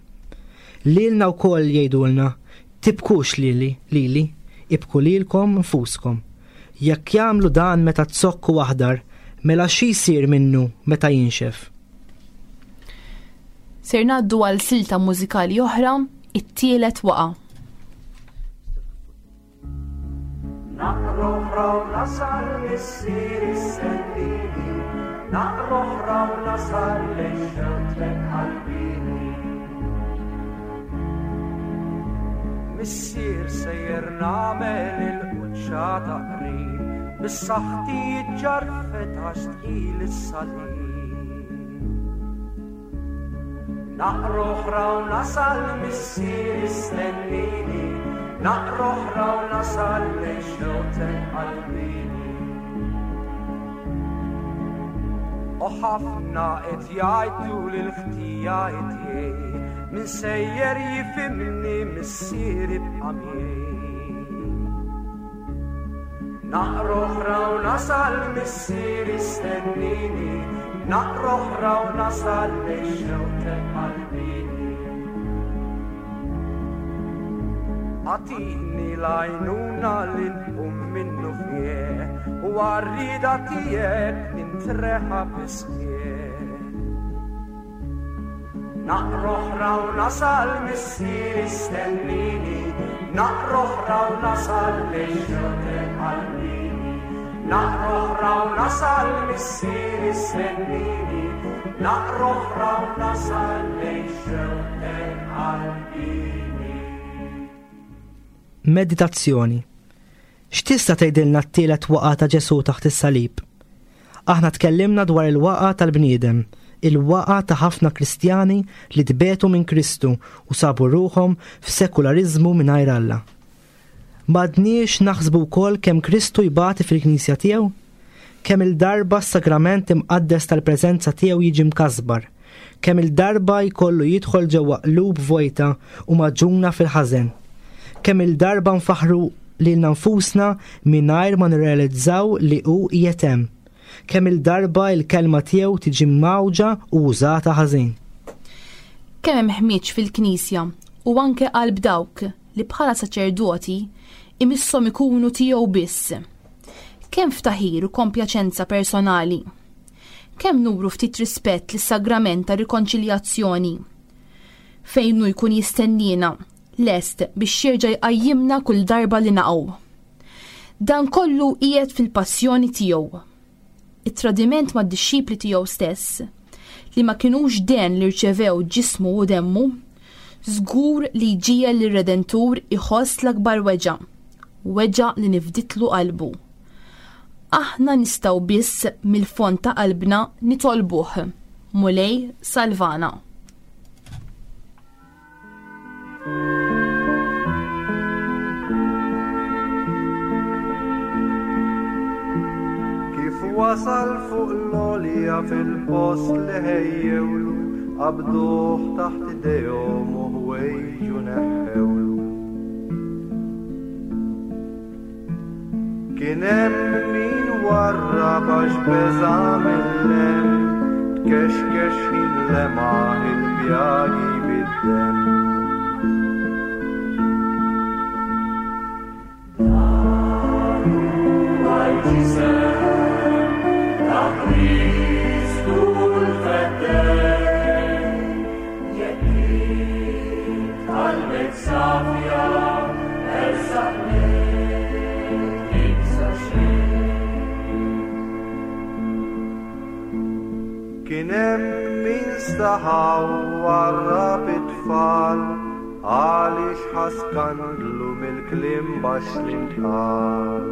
Lilna wkoll jgħidulna, tibkux lili, lili, ibku lilkom nfuskom. Jekk jagħmlu dan meta zokku aħdar, mela xi jsir minnu meta jinxef? Ser ngħaddu għal silta mużikali oħra, it-tielet waqa'. Naqra oħra u nasal missier istennini, naqra oħra u nasal lejn xewtek qalbini. Missier sejjer nagħmel il-quċċata qrib, bis-saħħti ġarfet għax tqil is-salib. Naqra oħra u nasal missier istennini, naqra oħra u nasal lejn xewtek qalbini. U ħafna qed jgħidu lil ħtija tiegħi, min sejjer jifhimni missier ibqa' miegħi. Naqra oħra u nasal missier istennini, naqra oħra u nasal lejn xewtek qalbini. Agħtini l-għajnuna li nqum minnu fih, u għar-rieda tiegħek nintreħa bisħieħ. Naqra oħra u nasal missier istennini, naqra oħra u nasal lejn xewtek qalbini. Naqra oħra u nasal missier istennini, naqra oħra u nasal lejn xewtek qalbini. Meditazzjoni. X'tista' tgħidilna t-tielet waqgħa ta' Ġesù taħt is-salib? Aħna tkellimna dwar il-waqgħa tal-bniedem, il-waqgħa ta' ħafna Kristjani li tbetu minn Kristu u sabu ruħhom f'sekulariżmu mingħajr Alla. M'għadniex naħsbu wkoll kemm Kristu jbati fil-Knisja tiegħu? Kemm il-darba s-sagrament imqaddes tal-preżenza tiegħu jiġi mkasbar, kemm il-darba jkollu jidħol ġewwa qlub vojta u maġuna fil-ħażen. Kemm il-darba nfaħru lilna nfusna mingħajr ma nirrealizzaw li hu qiegħed hemm. Kemm il-darba il-kelma tiegħu tiġi mawġa u użata ħażin. Kemm hemm ħmieġ fil-Knisja u anke qalb dawk li bħala saċerdoti imisshom ikunu tiegħu biss. Kemm ftaħir u kompjaċenza personali. Kemm nuru ftit rispett lis-sagrament ta' rikonċiljazzjoni fejn hu jkun jistennina lest biex jerġa' jqajjimna kull darba li naqgħu. Dan kollu qiegħed fil-passjoni tiegħu. It-tradiment mad-dixxipli tiegħu stess, li ma kinux den li rċevew ġismu u demmu, żgur li jġiegħel lir-Redentur iħoss l-akbar weġgħa, weġgħa li nifditlu qalbu. Aħna nistgħu biss mill-fond ta' qalbna nitolbuh, Mulej salvana. Kif wasal fuq l-għolja fil-post li ħejjewlu, qabduh taħt idejhom u ħwejġu neħħewlu. Kien hemm min warrab għax beża' mill-hemm, tkexkex ħin lemaħ il-pjagi bid-demm. Dan huwa l-ġisem ta' Kristu l-Feddej, jekk int qalbek safja ersaq lejh, tibża' xejn. Kien hemm min staħa u warrab it-tfal, għaliex ħa skandlu mill-kliem baxx li ntqal.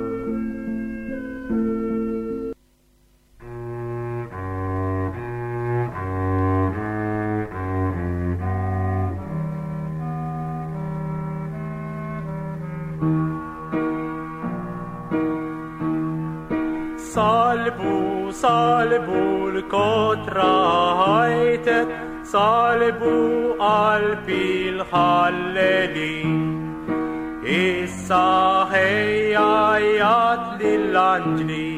Salbu, salbu l-kotra ħajtet, salbu qalbi l-ħallelin. Issa ħejja jgħat lill-anġli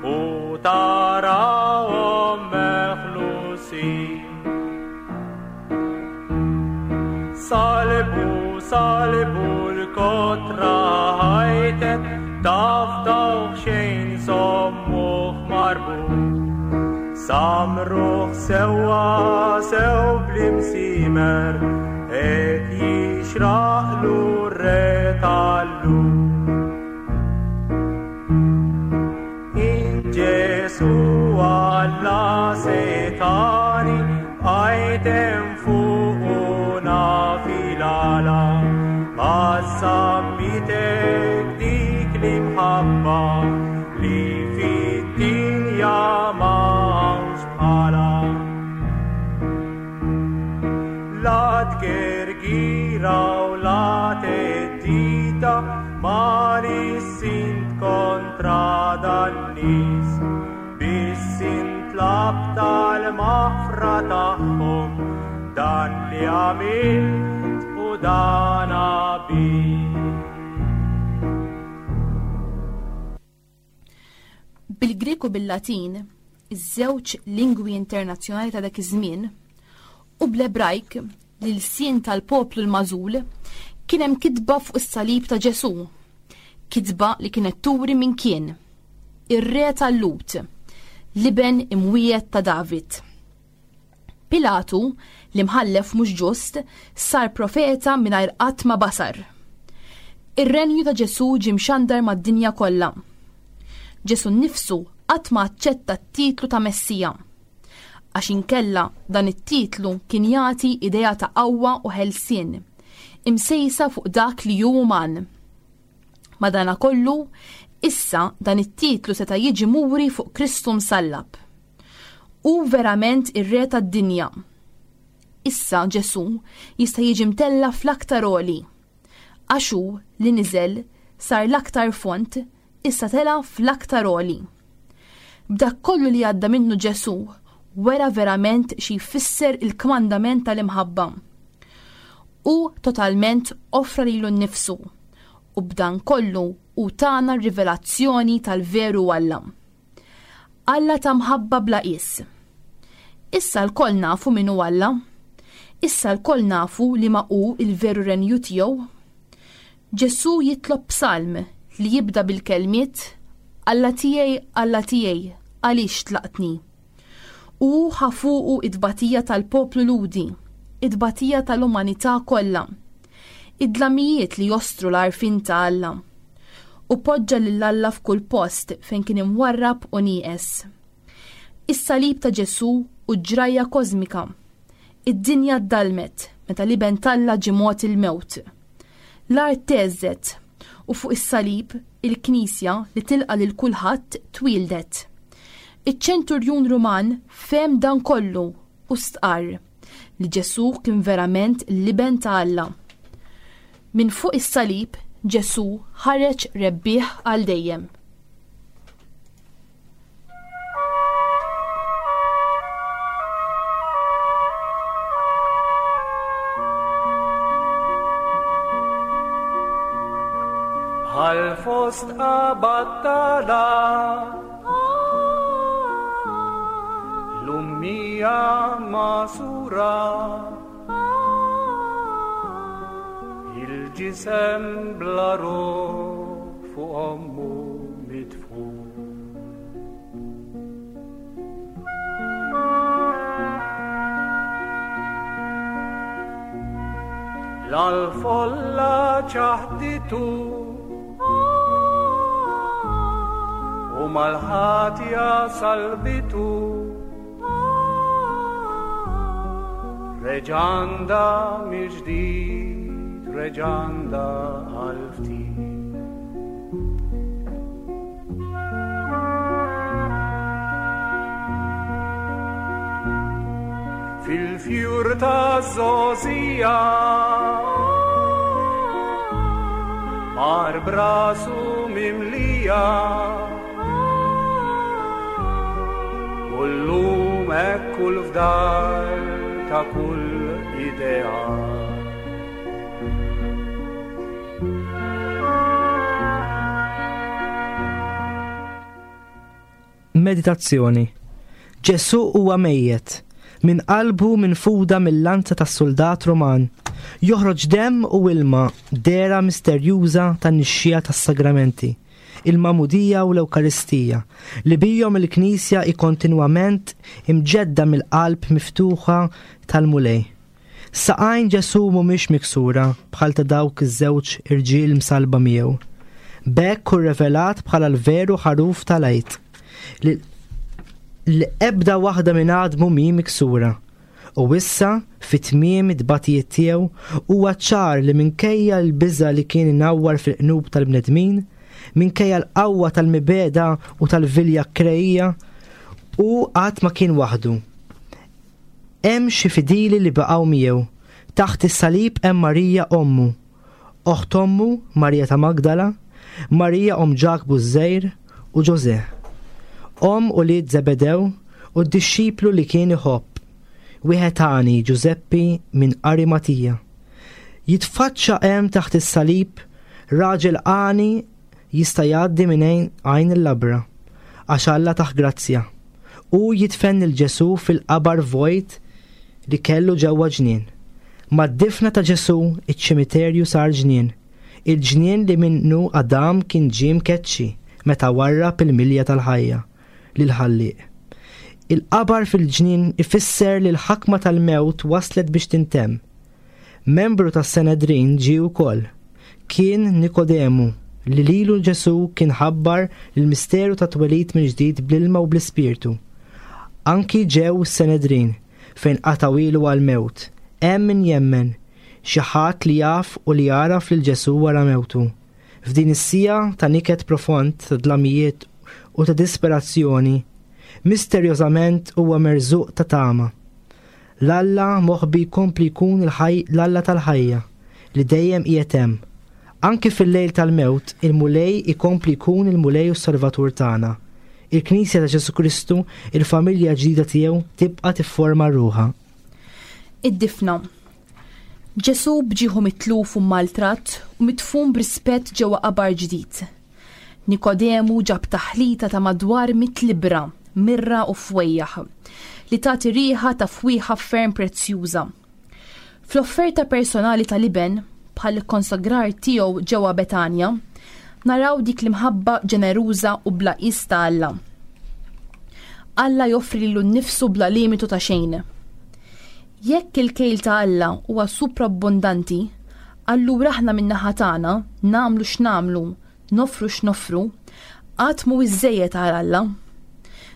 u tarawhom meħlusin. Salbu, salbu l-kotra ħajtet, taf dawk xejn sommuh marbut. Samruħ sewwa sew bl-imsimer, et jixraqlu r-re tal-lum. In Ġesu Alla setani, għajtem fuquna fil-għala, għażammitek dik l-imħabba li fid-dinja m'hawnx bħala. La tgergira u la teddida ma nissint kontra dan-nies, biss intlab tal-maħfra tagħhom dan li għamilt u dan għabilt. Bil-Grek u bil-Latin, iż-żewġ lingwi internazzjonali ta' dak iż-żmien, u bl-Ebrajk, l-ilsien tal-poplu l-magħżul, kien hemm kitba fuq is-salib ta' Ġesù, kitba li kienet turi min kien, ir-re tal-Lut, l-iben imwiegħed ta' David. Pilatu, l-imħallef mhux ġust, sar profeta mingħajr qatt ma basar. Ir-renju ta' Ġesù ġie mxandar mad-dinja kollha. Ġesù nnifsu qatt ma aċċetta t-titlu ta' Messija, għax inkella dan it-titlu kien jagħti idea ta' qawwa u ħelsien, imsejsa fuq dak li hu uman. Madanakollu, issa dan it-titlu seta' jiġi muri fuq Kristu msallab. Hu verament ir-re tad-dinja. Issa Ġesù jista' jiġi mtella fl-aktar għoli, għax hu li niżel sar l-aktar font, issa tela fl-aktar għoli. B'dak kollu li għadda minnu Ġesù, wera verament xi jfisser il-kmandament tal-imħabba. Hu totalment offra lilu nnifsu, u b'dan kollu hu tana r-rivelazzjoni tal-veru Alla. Alla ta' mħabba bla qies. Issa lkoll nafu min hu Alla. Issa lkoll nafu li ma hu il-veru renju tiegħu. Ġesù jitlob psalm li jibda bil-kelmiet Alla tiegħi, Alla tiegħi, għaliex tlaqtni? U ħa fuqu it-tbatija tal-poplu Lhudi, it-tbatija tal-umanità kollha, id-dlamijiet li jostru l-għarfien ta' Alla, u poġġa lil Alla f'kull post fejn kien imwarrab u nieqes. Is-salib ta' Ġesù u ġrajja kosmika. Id-dinja ddalmet meta l-iben t'Alla ġie mogħti l-mewt. L-art teżżet u fuq is-salib il-Knisja li tilqa' lil kulħadd twieldet. Iċ-ċenturjun Ruman fehem dan kollu u stqarr li Ġesù kien verament l-iben ta' Alla. Minn fuq is-salib Ġesù ħareġ rebbieħ għal dejjem. Bħal fost battala l-ummija masura il-ġisem bla ruħ fuq ommu mitfu. L-folla ċaħditu u mal-ħatja salbitu reġanda mill-ġdid, reġanda għal-ftit. Fil-fjur ta' żgħożija mar brasu mimlija u llum hekk kull fdal ta' kull idea. Meditazzjoni. Ġesù huwa mejjet, minn qalbu minfuda mill-lanza tas-soldat Roman. Joħroġ demm u ilma, dehra misterjuża tan-nixxija tas-sagramenti, il-Magħmudija u l-Ewkaristija, li bihom il-Knisja hi kontinwament imġedda mill-qalb miftuħa tal-Mulej. Saqajn Ġesù mhumiex miksura bħal ta' dawk iż-żewġ irġiel msalba miegħu. B'hekk hu revelat bħala l-veru ħaruf tal-Għid, li li ebda waħda minn għadmu mhi miksura. U issa, fit-tmiem it-tbatijiet tiegħu, huwa ċar li minkejja l-biża' li kien inawwar fil-qnub tal-bnedmin, minkejja l-qawwa tal-mibegħda u tal-vilja krejja, u qatt ma kien waħdu. Hemm xi fidili li baqgħu miegħu. Taħt is-salib hemm Marija ommu, oħt ommu Marija ta' Magdala, Marija omm Ġakbu ż-Żgħir u Ġożè, omm ulied Zebedew u d-dixxiplu li kien iħobb, wieħed għani Ġużeppi minn Arimatija. Jitfaċċa hemm taħt is-salib raġel għani jista' jgħaddi minn għajn il-labra, għax Alla taħ grazzja. U jidfen lil Ġesù fil-qabar vojt li kellu ġewwa ġnien. Mad-difna ta' Ġesù iċ-ċimiterju sar ġnien, il-ġnien li minnu Adam kien ġie mkeċċi meta warrab il-milja tal-ħajja lil-Ħallieq. Il-qabar fil-ġnien ifisser li l-ħakma tal-mewt waslet biex tintemm. Membru tas-Senedrin ġie wkoll. Kien Nikodemu li lilu Ġesù kien ħabbar il-misteru ta' twelid mill-ġdid bl-ilma u bl-ispirtu. Anki ġew is-Senedrin fejn qatgħu għal-mewt. Hemm min jemmen, xi ħadd li jaf u li jaraf lil Ġesù wara mewtu. F'din is-sija ta' niket profond, ta' dlamijiet u ta' disperazzjoni, misterjożament huwa merżuq ta' tama. L-Alla moħbi jkompli jkun l-Alla tal-ħajja li dejjem qiegħed hemm. Anki fil-lejl tal-mewt, il-Mulej ikompli jkun il-Mulej u s-Salvatur tagħna. Il-Knisja ta' Ġesù Kristu, il-familja ġdida tiegħu, tibqa' tifforma ruħha. Id-difna. Ġesù bġieħu mitluf u maltrat u mitfun b'rispett ġewwa qabar ġdid. Nikodemu ġab taħlita ta' madwar mitt libra, mirra u fwejjaħ, li tagħti riħa ta' fwieħa ferm prezzjuża. Fl-offerta personali tal-iben, bħal konsagrar tiegħu ġewwa Betanja, naraw dik l-imħabba ġeneruża u bla qis ta' Alla. Alla joffri lilu nnifsu bla limitu ta' xejn. Jekk il-kejl ta' Alla huwa suprabbondanti, allura aħna min-naħa tagħna nagħmlu x'nagħmlu, nofru x'nofru, qatt mhu iżżejjed għal Alla.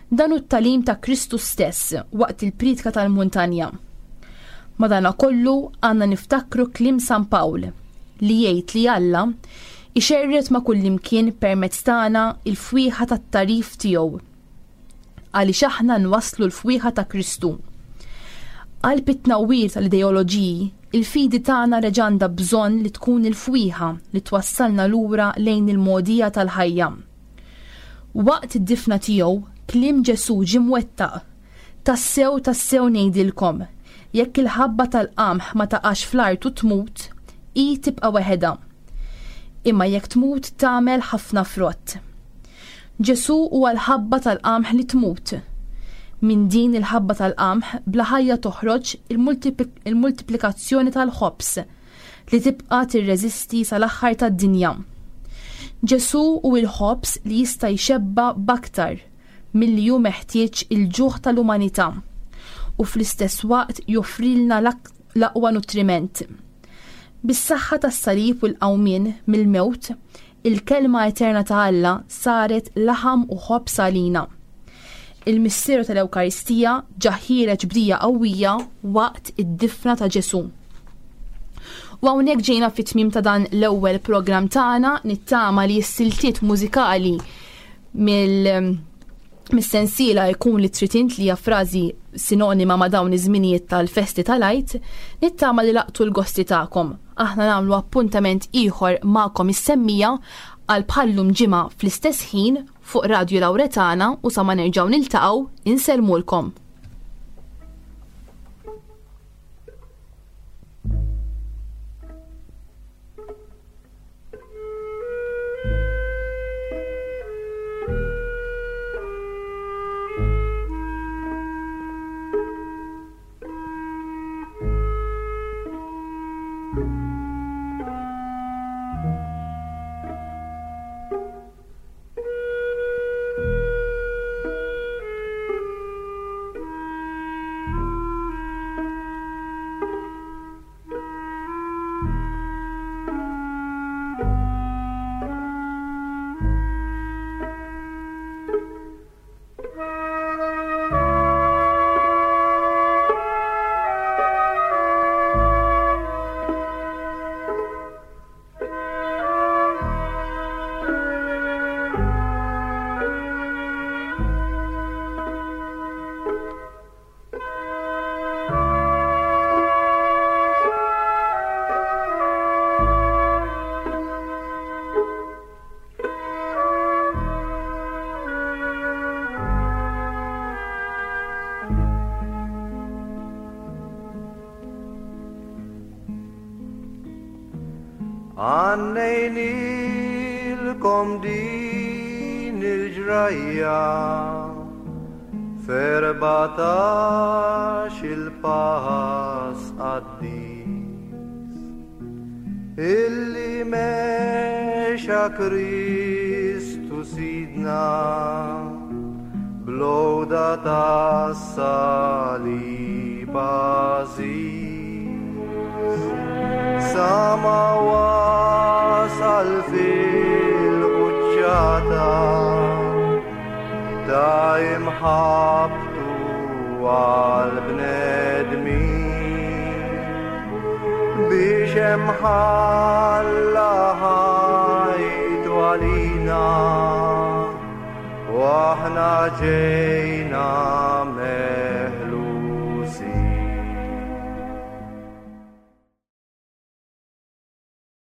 Dan hu t-tagħlim ta' Kristu stess waqt il-priedka tal-muntanja. Madanakollu għandna niftakru kliem San Pawl li jgħid li Alla ixerret ma' kullimkien permezz tagħna il-fwieħa tat-tagħrif tiegħu, għaliex aħna nwasslu l-fwieħa ta' Kristu. Qalb it-tnawwir tal-ideoloġiji, Il-fidi tagħna reġa' għandha bżonn li tkun il-fwieħa li twassalna lura lejn il-mogħdija tal-ħajja. Waqt id-difna tiegħu, kliem Ġesù ġie mwettaq. Tassew tassew ngħidilkom, jekk il-ħabba tal-qamħ ma taqax fl-art u tmut, hi tibqa' weħedha. Imma jekk tmut tagħmel ħafna frott. Ġesù huwa l-ħabba tal-qamħ li tmut. Minn din il-ħabba tal-qamħ bla ħajja toħroġ il-multiplikazzjoni tal-ħobż li tibqa' tirreżisti sal-aħħar tad-dinja. Ġesù hu l-ħobż li jista' jxebba' b'aktar milli hu meħtieġ il-ġuħ tal-umanità u fl-istess waqt joffrilna l-aqwa nutriment. Bis-saħħa tas-salib u l-qawmien mill-mewt, il-kelma eterna ta' Alla saret laħam u ħobż għalina. Il-misteru tal-Ewkaristija ġa ħiereġ bdija qawwija waqt id-difna ta' Ġesù. U hawnhekk ġejna fit-tmiem ta' dan l-ewwel programm tagħna, nittama li s-siltiet mużikali mill mis-sensiela jkun li trid int li hija frażi sinonima ma' dawn iż-żminijiet tal-festi tal-Għid, nittama li laqtu l-gosti tagħkom. Aħna nagħmlu appuntament ieħor magħkom is-semmija għal bħallum ġimgħa fl-istess ħin fuq Radio Lauretana u sa ma nerġgħu niltaqgħu insellmulkom. Għannejnilkom din il-ġrajja f'erbatax il-pass qaddis illi mexa Kristu Sidna bl-għoda tas-salib għażiż. Sama wasal fil-quċċata ta' imħabtu għal-bnedmin biex imħalla ħajtu għalina u aħna ġejna